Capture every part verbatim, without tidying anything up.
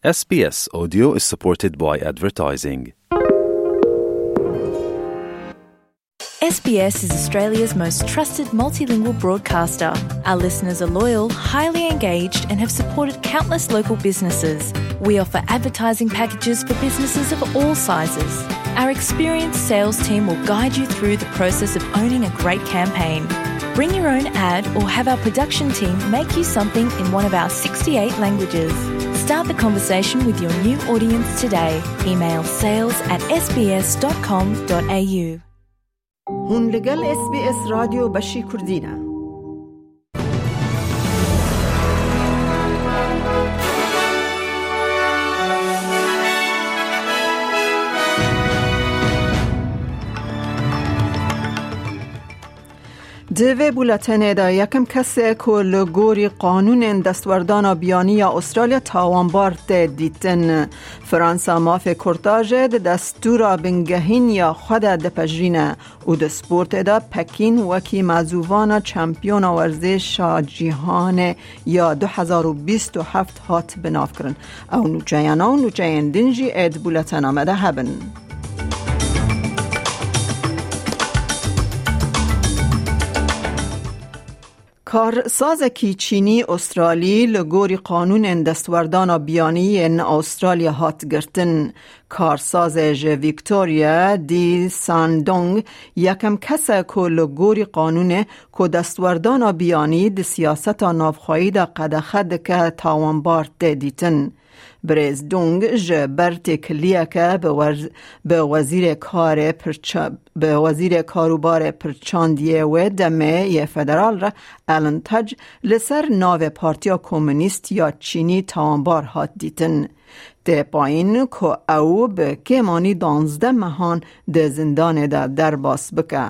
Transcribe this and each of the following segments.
S B S Audio is supported by advertising. S B S is Australia's most trusted multilingual broadcaster. Our listeners are loyal, highly engaged, and have supported countless local businesses. We offer advertising packages for businesses of all sizes. Our experienced sales team will guide you through the process of owning a great campaign. Bring your own ad or have our production team make you something in one of our sixty-eight languages. Start the conversation with your new audience today. Email sales at S B S dot com dot A U. Hûn li gel S B S Radyo Beşî Kurdî ne. Di vê bûletenê de yekem kesê ku li gorî qanûnên destwerdana biyanî ya Australya tawanbar tê dîtin. Fransa mafê kurtajê di destûra bingehîn ya xwe de dipejirîne û di sportê de Pekîn wekî mezûvana çempiyona werzêşa cîhanê ya du hezar û bîst û heft hat binavkirin. Ew nûçeyana û nûçeyên din jî ê di bûletena me de hebin. Karsazekî Çînî Australî li gorî qanûnên destwerdana biyanî yên Australya hat girtin. Karsazê ji Victoria, Di Sandong, yekem kes e ku li gorî qanûnê ku destwerdana biyanî di siyaseta navxweyî de qedexe dike tawanbar tê dîtin. Birêz Dung ji ber têkiliyeke bi wer-, bi wezîrê karê pirça-, bi wezîrê karûbarê pirçandiyê wê demê yê federal re Alan Tudge li ser navê Partiya Komûnîst ya Çînî tawanbar hat dîtin. Tê payîn ku ew bi kêmanî danzdeh mehan di zindanê de derbas bike.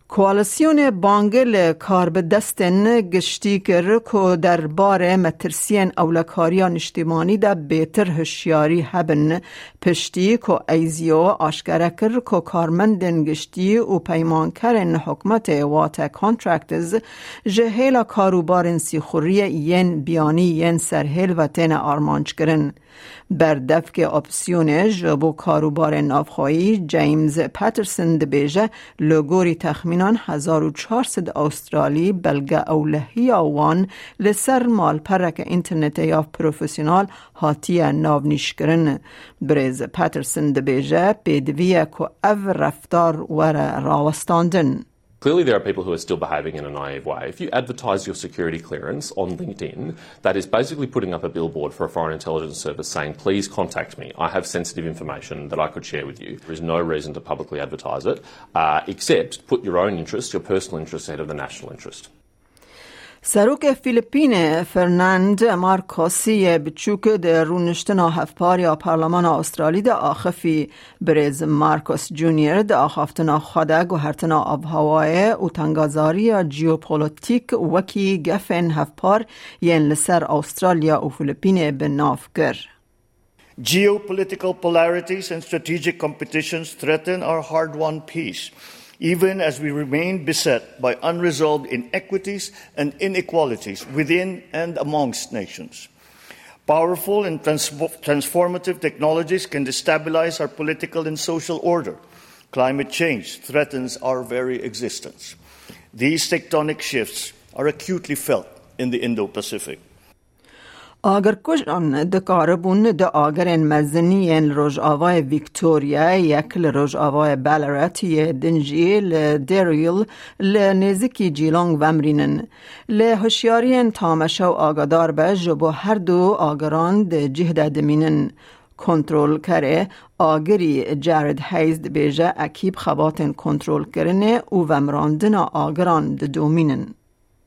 Koalîsyonê bangê li karbidestên giştî kir ku derbarê metirsiyên ewlekariya niştimanî de bêtir hişyarî hebin, piştî ku Aizio aşkere kir ku karmendên giştî û peymankerên hikûmetê, wate contractors, ji hêla karûbarên sîxuriyê yên biyanî yên serhêl ve têne armanckirin. Berdevkê opsiyonê ji bo karûbarên navxweyî James Patterson dibêje, li gorî texmînan hezar û çar sed Australî belge ewlehiya wan li ser malpereke înternetê ya profesyonel hatiye navnîşkirin. Birêz Patterson dibêje, pêdivî ye ku ev reftar were rawestandin. Clearly, there are people who are still behaving in a naive way. If you advertise your security clearance on LinkedIn, that is basically putting up a billboard for a foreign intelligence service saying, "Please contact me. I have sensitive information that I could share with you." There is no reason to publicly advertise it, uh, except put your own interest, your personal interest, ahead of the national interest. Serokê Filipînê Fernand Marcos yê biçûk di rûniştina hevpar ya Parlemana Australî de axifî. Birêz Marcos Junior di axaftina xwe de guhertina avhewayê û tengazariya jeopolitîk wekî gefên hevpar yên li ser Australya û Filipînê bi nav kir. Geopolitical polarities and strategic competitions threaten our hard-won peace, even as we remain beset by unresolved inequities and inequalities within and amongst nations. Powerful and transfo-, transformative technologies can destabilize our political and social order. Climate change threatens our very existence. These tectonic shifts are acutely felt in the Indo-Pacific. Agirkujan dikaribûn di agirên mezin yên li rojavayê Victoria, yek li rojavayê Ballarat, yê din jî li Daryl, li nêzîkî Geelong vemrînin. Lê hişyariyên tameşew agadar be, ji bo her du agiran di cih de dimînin. Kontrolkerê agirî Jared Hayes dibêje, ekîb xebatên kontrolkirinê û vemrandina agiran didomînin.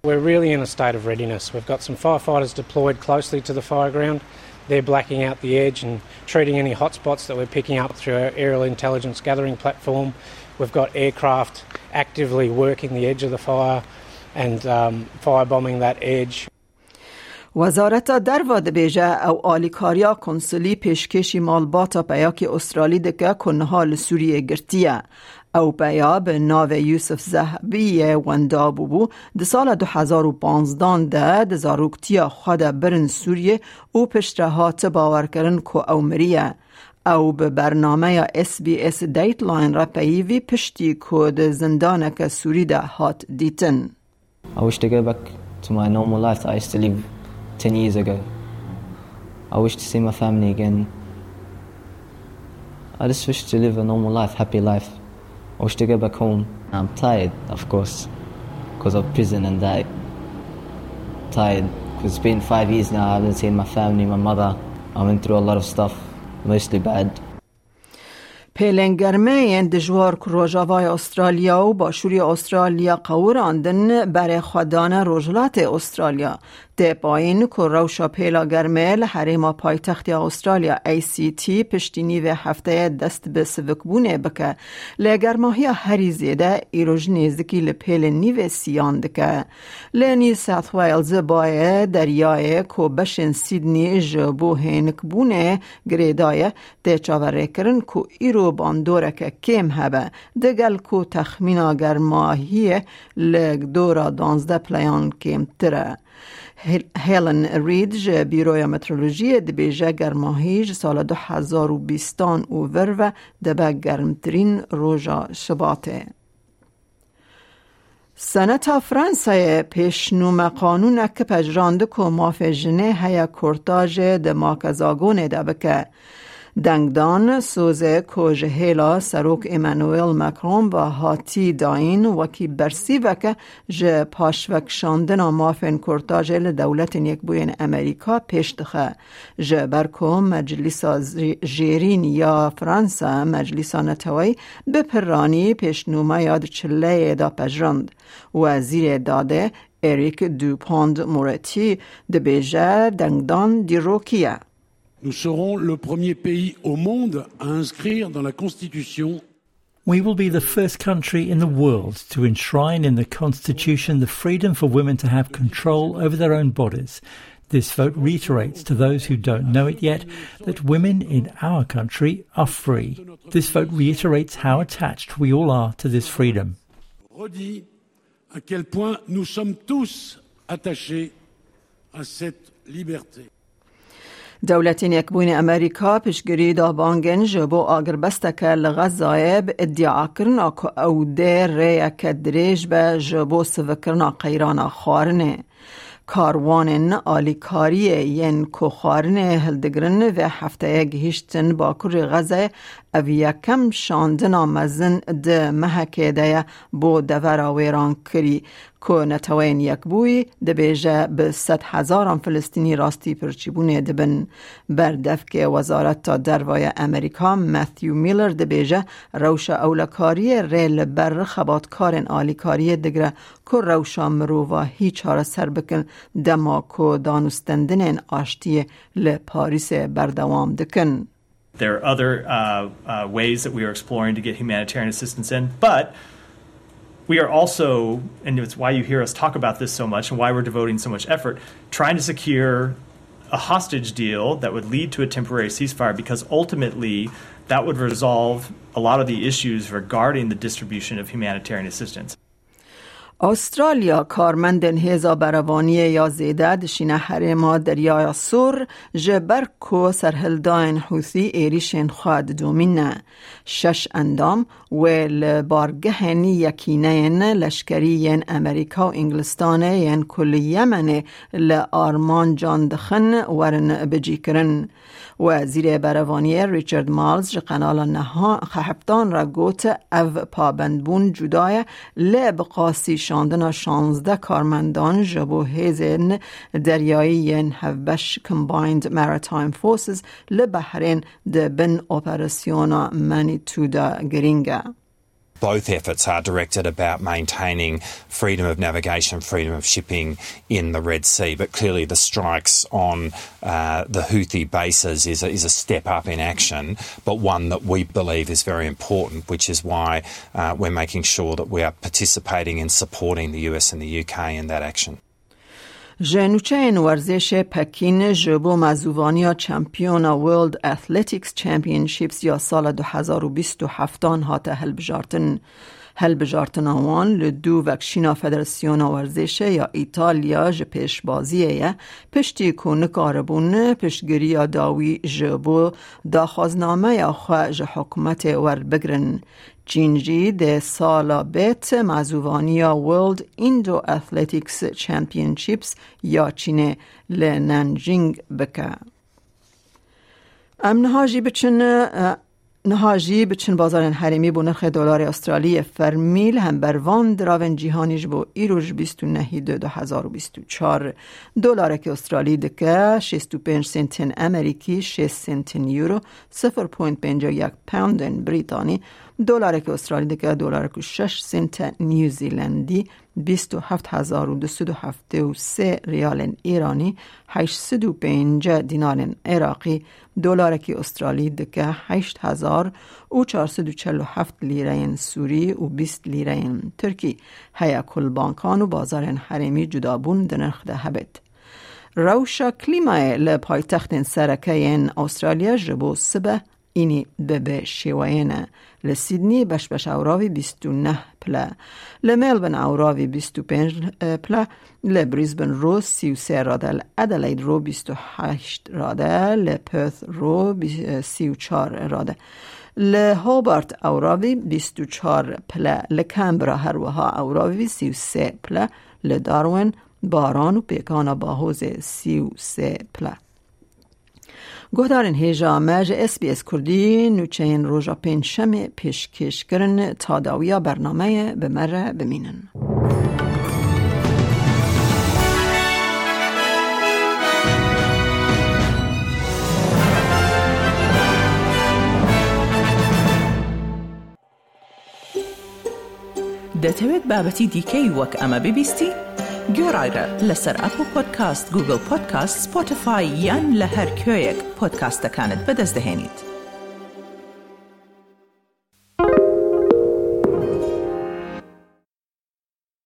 We're really in a state of readiness. We've got some firefighters deployed closely to the fire ground. They're blacking out the edge and treating any hotspots that we're picking up through our aerial intelligence gathering platform. We've got aircraft actively working the edge of the fire and, um, firebombing that edge. Wezareta Derve dibêje, ew alîkariya konsulî pêşkêşî malbata peyakê Australî dike ku niha li Sûriyê girtiye. Ew peya bi navê Yusuf Zehbiyê wenda bûbû, di sala du hezar û panzdan de di zaroktiya xwe de birin Sûriyê û piştre hate bawerkirin ku ew miriye. Ew bi bernameya S B S Dateline re peyivî piştî ku di zindaneke Sûrî de hat dîtin. I wish to go back to my normal life that I used to live ten years ago. I wish to see my family again. I just wish to live a normal life, happy life. I wish to go back home. I'm tired, of course, because of prison and that. Tired, because it's been five years now I haven't seen my family, my mother. I went through a lot of stuff, mostly bad. Pêlên germê yên dijwar ku Rojavaya Australya û Başûrê Australya qewirandin, berê xwe dane Rojhilatê Australya. Tê payîn ku rewşa pêla germê li herêma paytextiya Australya A C T piştî nîvê hefteyê dest bi sivikbûnê bike. Lê germahiya herî zêde îro ji nêzikî li pêlên nîvê siyan dike. Li New South Wales bayê deryayê ku beşên Sydney ji bo hênikbûnê girêdaye, tê çaverêkirin ku îro bandoreke kêm hebe, digel ku texmîna germahiyê li dora duwazdeh pileyan kêmtir e. Hel-, Helen Reid ji Bîroya Meteorolojiyê dibêje, germahî ji sala du hezar û bîstan û vir ve dibe germtirîn roja Şibatê. Seneta Fransayê pêşnûme qanûnek pejirand ku mafê jinê heye kurtajê di makezagonê de bike. Dengdan sozê ku ji hêla Serok Emmanuel Macron ve hatî dayîn wekî bersîveke ji paşvekişandina mafên kurtajê li Dewletên Yekbûyên Amerîka pêş dixe. Ji ber ku Meclisa Zî-, Jêrîn ya Fransa, Meclisa Neteweyî, bi piranî pêşnûmeya di çileyê de pejirand. Wezîrê Dadê Eric Dupond-Moretti dibêje dengdan dîrokî ye. Nous serons le premier pays au monde à inscrire dans la Constitution. We will be the first country in the world to enshrine in the Constitution the freedom for women to have control over their own bodies. This vote reiterates to those who don't know it yet that women in our country are free. This vote reiterates how attached we all are to this freedom. Redit à quel point nous sommes tous attachés à cette liberté. Dewletên Yekbûyî Amerîka piştgirî da bangên ji bo agirbesteke li Xezayê bi îdiakirina ku ew dê rêyeke dirêj be ji bo sivikirina qeyrana xwarinê. Karwanên alîkariyê yên ku xwarinê hildigirin vê hefteyê gihîştin Bakurê Xezayê, ev yekem şandina mezin di mehekê de ye bo devera wêrankirî. Ku Neteweyên Yekbûyî dibêje bi sed hezaran Filistînî rastî pirçîbûnê dibin. Berdevkê Wezareta Derve ya Amerîka Matthew Miller dibêje rewşa ewlekariyê rê li ber xebatkarên alîkariyê digire ku rewşa mirovahî çareser bikin dema ku danûstendinên aştiyê li Parîsê berdewam dikin. There are other uh, uh, ways that we are exploring to get humanitarian assistance in, but we are also, and it's why you hear us talk about this so much and why we're devoting so much effort, trying to secure a hostage deal that would lead to a temporary ceasefire, because ultimately that would resolve a lot of the issues regarding the distribution of humanitarian assistance. Australya karmendên hêza berevaniyê ya zêde dişîne herêma Deryaya Sor, ji ber ku serhildayên Hûthî êrîşên xwe didomîne. Şeş endam wê li bargehên yekîneyên leşkerî yên Amerîka û Îngilistanê yên ku li Yemenê li armancan dixin werin bicîkirin. Wezîrê Berevaniyê Richard Marles ji Qenala Neha Xeheftan re got, ev pabendbûn cuda ye, lê bi qasî şandina şanzdeh karmendan ji bo hêzên deryayî yên hevbeş Combined Maritime Forces li Behrên di bin operasyona Manitou de girîng e. Both efforts are directed about maintaining freedom of navigation, freedom of shipping in the Red Sea. But clearly, the strikes on uh, the Houthi bases is a, is a step up in action, but one that we believe is very important, which is why uh, we're making sure that we are participating and supporting the U S and the U K in that action. Ji nûçeyên werzêşê Pekîn ji bo mezûvaniya Çempiyona World Athletics Championships ya sala du hezar û bîst û heft an hate hilbijartin. Hilbijartina wan li dû vekşîna Federasyona Werzêşê ya Îtalya ji pêşbaziyê ye, piştî ku nikaribûn piştgiriya dawî ji bo daxwaznameya xwe ji hikûmetê werbigrin. Çîn jî dê sala bêt mezûvaniya World Indo Athletics Championships ya Çînê li Nanjing bike. Em niha jî biçin, e, niha jî biçin bazarên herêmî bo nirxê dolarê Astralî yê fermî li hember van diravên cîhanî ji bo îro ji bîst û nehî du du hezar û bîst û çar. Dolarekî Astralî dike şêst û pênc sentên Amerîkî, şêst sentên Euro, sifir point pênc yek poundên Brîtanî, dolarekî Astralî dike dolarek û şeş sente New Zealandî, bîst û heft hezar û du sed û heftê û sê riyalên Îranî, heşt sed û pêncî dînarên Iraqî, dolarekî Astralî dike heşt hezar û çar sed û çel û heft lîreyên Sûrî û bîst lîreyên Tirkî. Heye ku li bankan û bazarên herêmî cudabûn di nirx de hebêt. Rewşa klîmayê li paytextên sereke yên Astralya ji bo sibe înî bi bi şêweyê ne. Li Sydney beş beş ewravî bîst û neh pile. Li Melbourne ewravî bîst û pênc pile. Li Brisbane ro sî û sê rade. Li Adelaide ro bîst û heşt rade. Li Perth ro bî-, sî û çar rade. Li Hobart ewravî bîst û çar pile. Li Canberra her wiha ewravî sî û sê pile. Li Darwin baran û pêkana bahozê sî û sê pile. Guhdarên hêja me ji S B S Kurdî nûçeyên roja pêncşemê pêşkêş kirin. Ta dawiya bernameyê bi me re bimînin. دەتەوێت بابەتی دیکەی وەک ئەمە ببیستی؟ گوێڕایرە لەسەر ئەپڵ پۆدکاست، گوگڵ پۆدکاست، سپۆتیفای یان لە هەر کوێیەک پۆدکاستەکانت بەدەست دەهێنیت.